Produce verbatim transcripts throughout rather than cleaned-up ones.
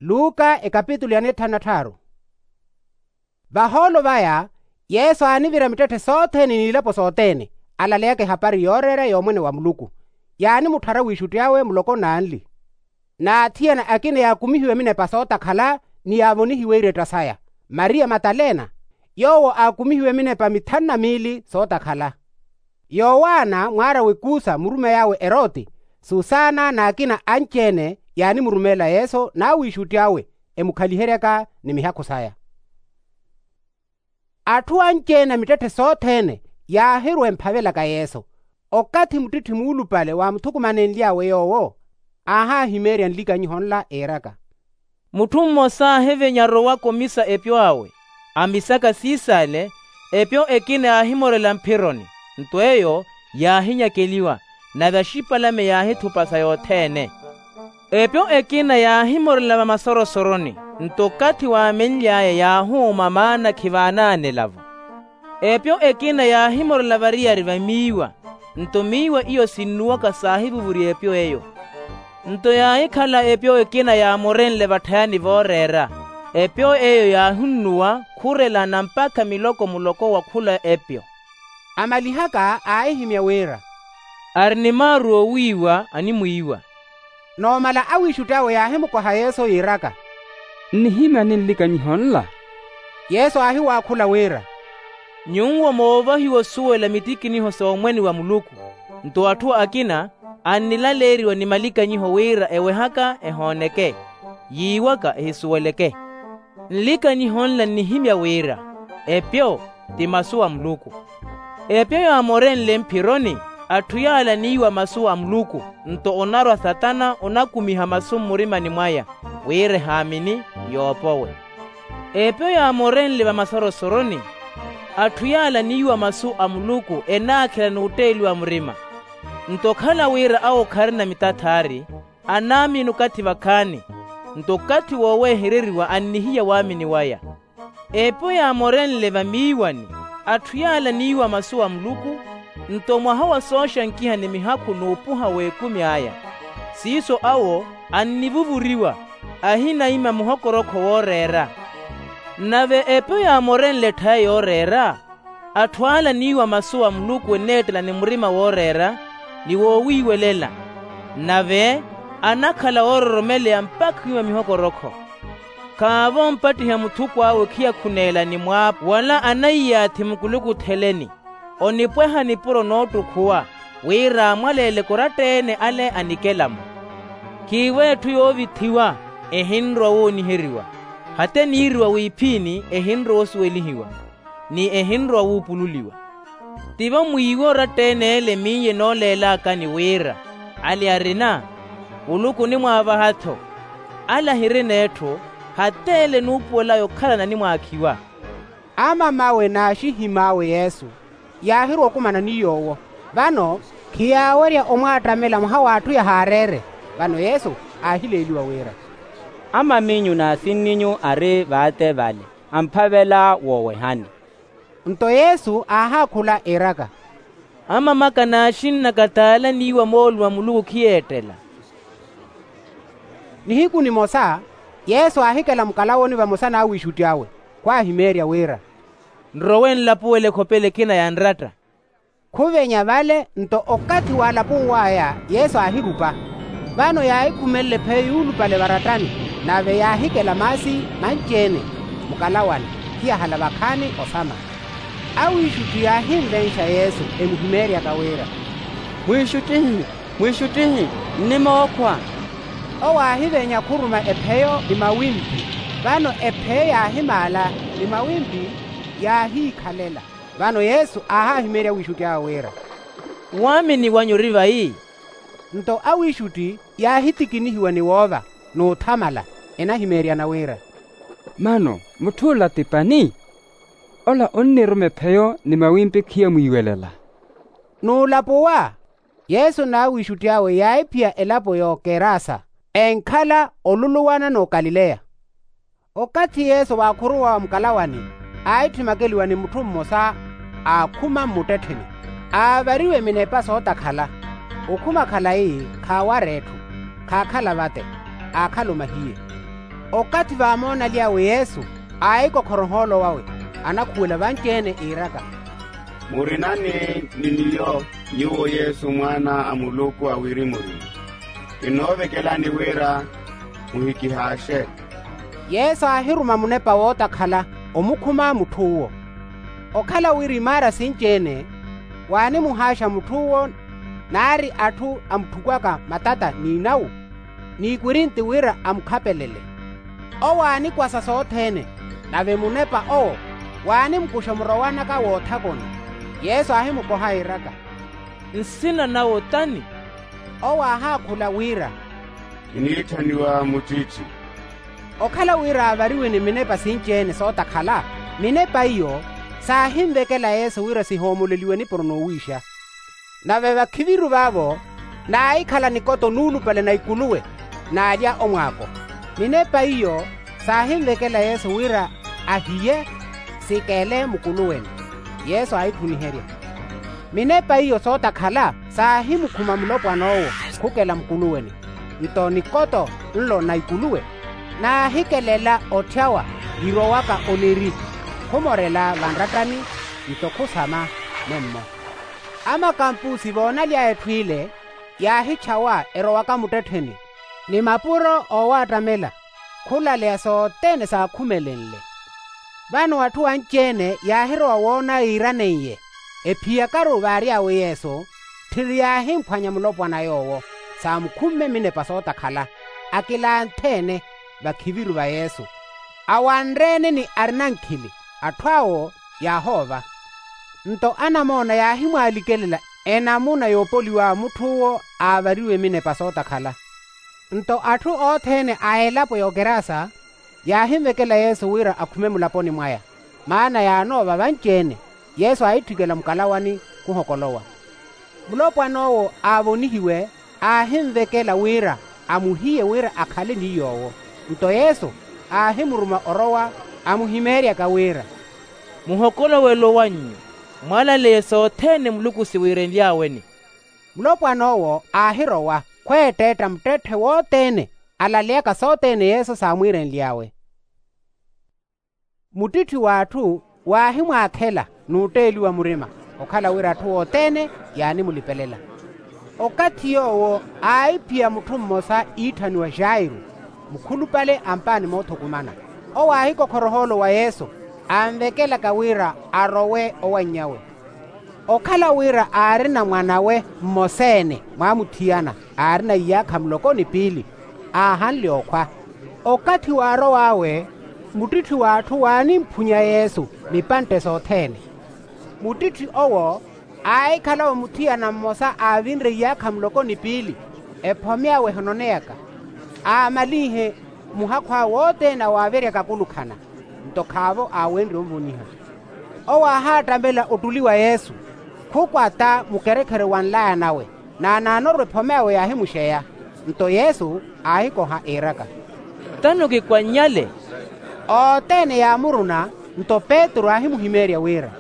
Luka ekapitulu ya nithanu na tthaaru. Vahoolo vaya, yesu aanivira mittetthe sothene n'ilapo sothene, alaleyaka ehapari yooreera y'omwene wa muluku. Yaanimutthara wiixutti awe muloko n'anli. N'athiyana akina yaakumihiwe minepa sootakhala, ni yaavonihiwe iretta saya. Mariya matalena, yoowo aakumihiwe minepa mithanu na miili sootakhala. Yowaana mwaar'awe kuusa murumeyi awe erooti, susana n'akina anci-ene yaanimurumeela yesu n'awiixutti awe, emukhaliheryaka ni mihakhu saya. Atthu anci-ene a mittetthe sothene, yaahirwa emphavelaka yesu. Okathi muttitthi muulupale waamuthukumanenly'awe yoowo, aahahimeerya nlikanyiho nla iiraka. Mutthu mmosa aahivenya arowaka omisa epyo awe, amisaka siisale. Epyo ekina yaahimorela mphironi, nto eyo yaahinyakeliwa, nave axipalame yaahithupasa yothene. Epyo ekina yaahimorela vamasorosoro-ni, nto okathi waamenly'aya yaahuuma maana khivaanaanela-vo. Epyo ekina yaahimorela variyari va miiwa, nto miiwa iyo sinnuwaka saahivuvurya epyo eyo. Nto yaahikhala epyo ekina yaamorenle vatthayani vooreera, epyo eyo yaahunnuwa khurelana mpakha miloko muloko wa khula epyo. Amalihaka aahihimya wira, ari ni maaru oowiiwa animwiiwa. Noomala awiixutti awe yaahimukoha yesu yiiraka, nnihimyani nlikanyiho nla? Yesu aahiwaakhula wira, nyuwo moovahiwa osuwela mitikiniho s'omwene wa muluku. Nto atthu akina annilaleeriwa ni malikanyiho wira ewehaka ehooneke, yiiwaka ehisuweleke. Nlikanyiho nla nnihimya wira, epyo ti masu a muluku. Epyo yaamorenle mphironi, atthu yaala aniiwa masu a muluku, nto onarwa satana onakumiha masu mmurimani mwaya, wira ehaamini, yoopowe. Epyo yaamorenle vamasorosoro-ni, atthu yaala aniiwa masu a muluku enaakhela n'utteeliwa murima. Nto okhala wira awo kharina mitathaari, anaamini okathi vakhaani, nto okathi woowehereriwa annihiya waamini waya. Epyo yaamorenle vamiiwani, atthu yaala aniiwa masu a muluku, nto mwaha wa sooxankiha ni mihakhu n'upuha w'ekumi aya. Siiso awo annivuvuriwa, ahinaima muhokorokho wooreera. Nave epyo yaamorenle etthaya yooreera, atthu ala aniiwa masu a muluku eneettela ni murima wooreera, ni woowiiwelela. Nave anakhala oororomeleya mpakha wiima mihokorokho. Khaavompattiha muthuku awe khiyakhuneela ni mwaapu wala anaiyaathi mukulukutheleni. Onipweha nipuro noottukhuwa, wira amwaleeleke oratta-ene ale anikela-mo. Khiivo etthu yoovithiwa, ehinrowa wooniheriwa. Hata eniiriwa wiiphiini ehinrowa osuwelihiwa, ni ehinrowa wuupululiwa. Tivo mwiiwe oratta-ene ele miyo enooleelakani wira, ale arina, muluku onimwaavaha-tho. Ale ahirina etthu, hata ele enuupuwel'aya okhalana animwaakhiwa. Amam'awe n'axihim'awe yesu, yaahirwa okumana ni yoowo. Vano khiyaawerya omwaattamela mwaha w'atthu yahaareere. Vano yesu aahileeliwa wira, amam'inyu n'asin'inyu ari vaate vale, amphavela woowehani. Nto yesu aahaakhula iiraka, amam'aka n'axinn'aka t'ala aniiwa mooluwa muluku khiyeettela. Nihiku nimosa, yesu aahikela mukalawoni vamosa n'awiixutti awe, khwaahimeerya wira, nrowe nlapuwele ekhopela ekina ya nratta. Khuvenya vale nto okathi waalapow'aya yesu aahirupa. Vano yaahikhumelela epheyo yuulupale varattani, nave yaahikela maasi manci-ene mukalawani, khiyahala vakhaani osama. Awiixutti yaahinvenxa yesu emuhimeeryaka wira, mwiixuttihi, mwiixuttihi, nnimookhwa. Owo aahivenya khuruma epheyo ni mawimpi. Vano epheyo yaahimaala, ni mawimpi yaahiikhalela. Vano yesu aahahimeerya awiixutti awe wira, waamini wanyu ori vayi? Nto awiixutti yaahitikinihiwa ni woova n'uthamala, enahimeeryana wira, mano mutth'ula ti pani? Ola onniruma epheyo ni mawimpi khiyamwiiwelela. N'ulapuwa, yesu n'awiixutti awe yaahiphiya elapo y'okerasa, enkhala oluluwana n'okalileya. Okathi yesu waakhuruwa wa mukalawani, aahitthwimakeliwa ni mutthu mmosa, aakhuma mmuttettheni, aavariwe minepa sootakhala. Okhuma khalayi khaawara etthu, khaakhala vate, aakhala omahiye. Okathi vaamoonalyawe yesu, aahikokhora ohoolo wawe, anakhuwela vanci-ene iiraka, murinani ni miyo, nyuwo yesu mwaana a muluku a wirimu-rimu, kinoovekelani wira muhikihaaxe. Yesu aahiruma munepa wootakhala omukhuma mutth'uwo. Okhala wira imaara sinci-ene, waanimuhaaxa mutth'uwo, naari atthu amutthukwaka matata n'inawu n'ikwirinti wira amukhapelele. Owo aanikwasa sothene, nave munepa owo waanimukuxa murowanaka woothakoni. Yesu aahimukoha iiraka, nsina nawe otani? Owo aahaakhula wira, kiniitthaniwa muttitthi. Okhala wira aavariwe ni minepa sinci-ene sootakhala, minepa iyo saahinvekela yesu wira sihoomoleliwe nipuro n'uwiixa. Nave vakhiviru vaavo naahikhala nikoto nuulupale na ikuluwe, n'alya omwaako. Minepa iyo saahinvekela yesu wira ahiye sikele mukuluwene. Yesu aahitthuniherya. Minepa iyo sootakhala saahimukhuma mulopwan'owo khukela mukuluwene. Nto nikoto nlo na ikuluwe naahikelela otthyawa, virowaka oneri khumorela vanrattani, nto khusama nemmo. Amakampusi voonaly'aya etthu ile, yaahitxawa erowaka muttettheni, ni mapuro oowattamela khulaleya sothene saakhumelenle. Vano atthu anci-ene yaahirowa woona yiiraneiye, ephiyakaru vaary'awe yesu, tthiri yaahimphwanya mulopwana yoowo saamukhumme minepa sootakhala, akilanthe-ene vakhiviru va yesu. Awanre-ene ni arina nkhili, atthu awo yaahoova. Nto anamoona yaahimwaalikelela enamuna yoopoliwa mutthu uwo aavariwe minepa sootakhala. Nto atthu othene a elapo y'okerasa yaahinvekela yesu wira akhume mulaponi mwaya, maana yaanoova vanci-ene. Yesu aahitthikela mukalawani khuhokolowa. Mulopwan'owo aavonihiwe aahinvekela wira amuhiye wira akhale ni yoowo. Nto yesu aahimuruma orowa amuhimeeryaka wira, muhokolowelo wannyu, mwalaleye sothene muluku siwiirenly'aweni. Mulopwan'owo aahirowa khweetteetta muttetthe wothene alaleyaka sothene yesu saamwiirenly'awe. Muttitthi w'atthu waahimwaakhela n'utteeliwa murima, okhala wira atthu othene yaanimulipelela. Okathi yoowo aahiphiya mutthu mmosa iitthaniwa jairu, mukhulupale a mpaani moothukumana. Owo aahikokhora ohoolo wa yesu, anvekelaka wira arowe owannyawe. Okhala wira aarina mwan'awe mmosa-ene mwaamuthiyana aarina iyaakha muloko ni piili, aahanle okhwa. Okathi waarow'awe, muttitthi w'atthu waanimphunya yesu mipantte sothene. Muttitthi owo aahikhala omuthiyana mmosa aavinre iyaakha muloko ni piili, ephome awe ehononeyaka, aamalinhe muhakhu awe othene awaaveryaka akulukhana. Nto khaavo aawenrye onvoniha. Owo aahaattamela ottuli wa yesu, khukwata mukerekhere wa nlaya nawe, naanaanoru ephome awe yaahimuxeya. Nto yesu aahikoha iiraka, tano kikwannyale. Othene yaamuruna. Nto petru aahimuhimeerya wira,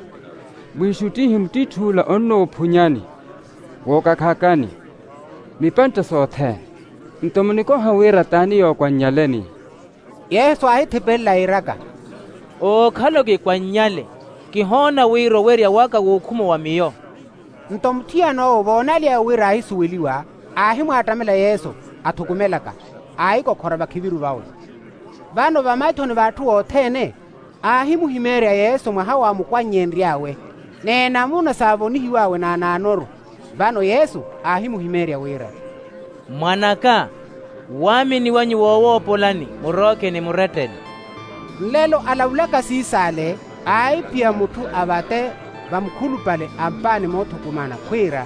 mwiixuttihi muttitthuula onnoophunyani, wookakhakani mipantte sothene. Nto munikoha wira t'ani yookwannyaleni? Yesu aahithipelela iiraka, ookhala okikwannyale, kihoona wira owerya waka w'okhuma wa miyo. Nto muthiyan'owo voonaly'awe wira aahisuweliwa, aahimwaattamela yesu, athukumelaka, aahikokhora vakhiviru vawe. Vano vamaithoni v'atthu othene aahimuhimeerya yesu mwaha waamukwannyeenry'awe, n'enamuna saavonihiw'awe naanaanoru. Vano yesu aahimuhimeerya wira, mwan'aka, waamini wanyu woowoopolani murooke ni murettele. Nlelo alavulaka siisaale, aahiphiya mutthu avate vamukhulupale a mpaani moothukumana khwiira,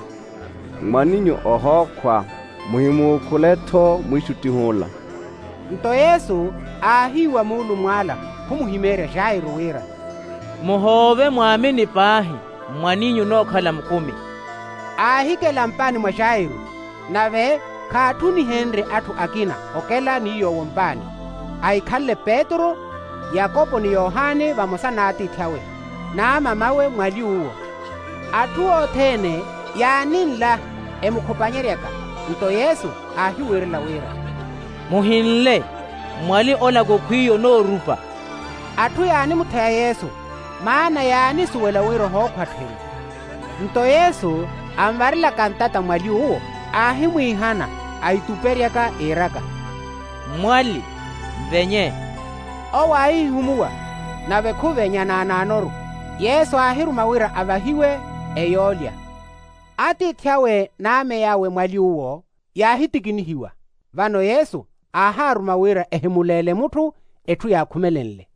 mwaninyu ohookhwa, muhimuukhule-tho mwiixuttih'ula. Nto yesu aahiiwa muulumw'ala khumuhimeerya jairu wira, muhoove mwaamini paahi, mwaninyu onookhala mukumi. Aahikela mpaani mwa jairu, nave khaatthunihenrye atthu akina okela ni yoowo mpaani, ahikhanle petru, yakopo ni yohani vamosa n'atiithi awe, n'amam'awe mwali uwo. Atthu othene yaaninla emukhupanyeryaka. Nto yesu aahiwiirela wira, muhinle. Mwali olaka okhwiiya onoorupa. Atthu yaanimutheya yesu, maana yaanisuwela wira ohookhwattheni. Nto yesu anvarilaka ntata mwali uwo, aahimwiihana, aituperyaka iiraka, mwali, mvenye. Owo aahihumuwa, nave khuvenya naanaanoru. Yesu aahiruma wira avahiwe eyoolya. Atiithi awe n'ame awe mwali uwo yaahitikinihiwa. Vano yesu aahaaruma wira ehimuleele mutthu etthu yaakhumelenle.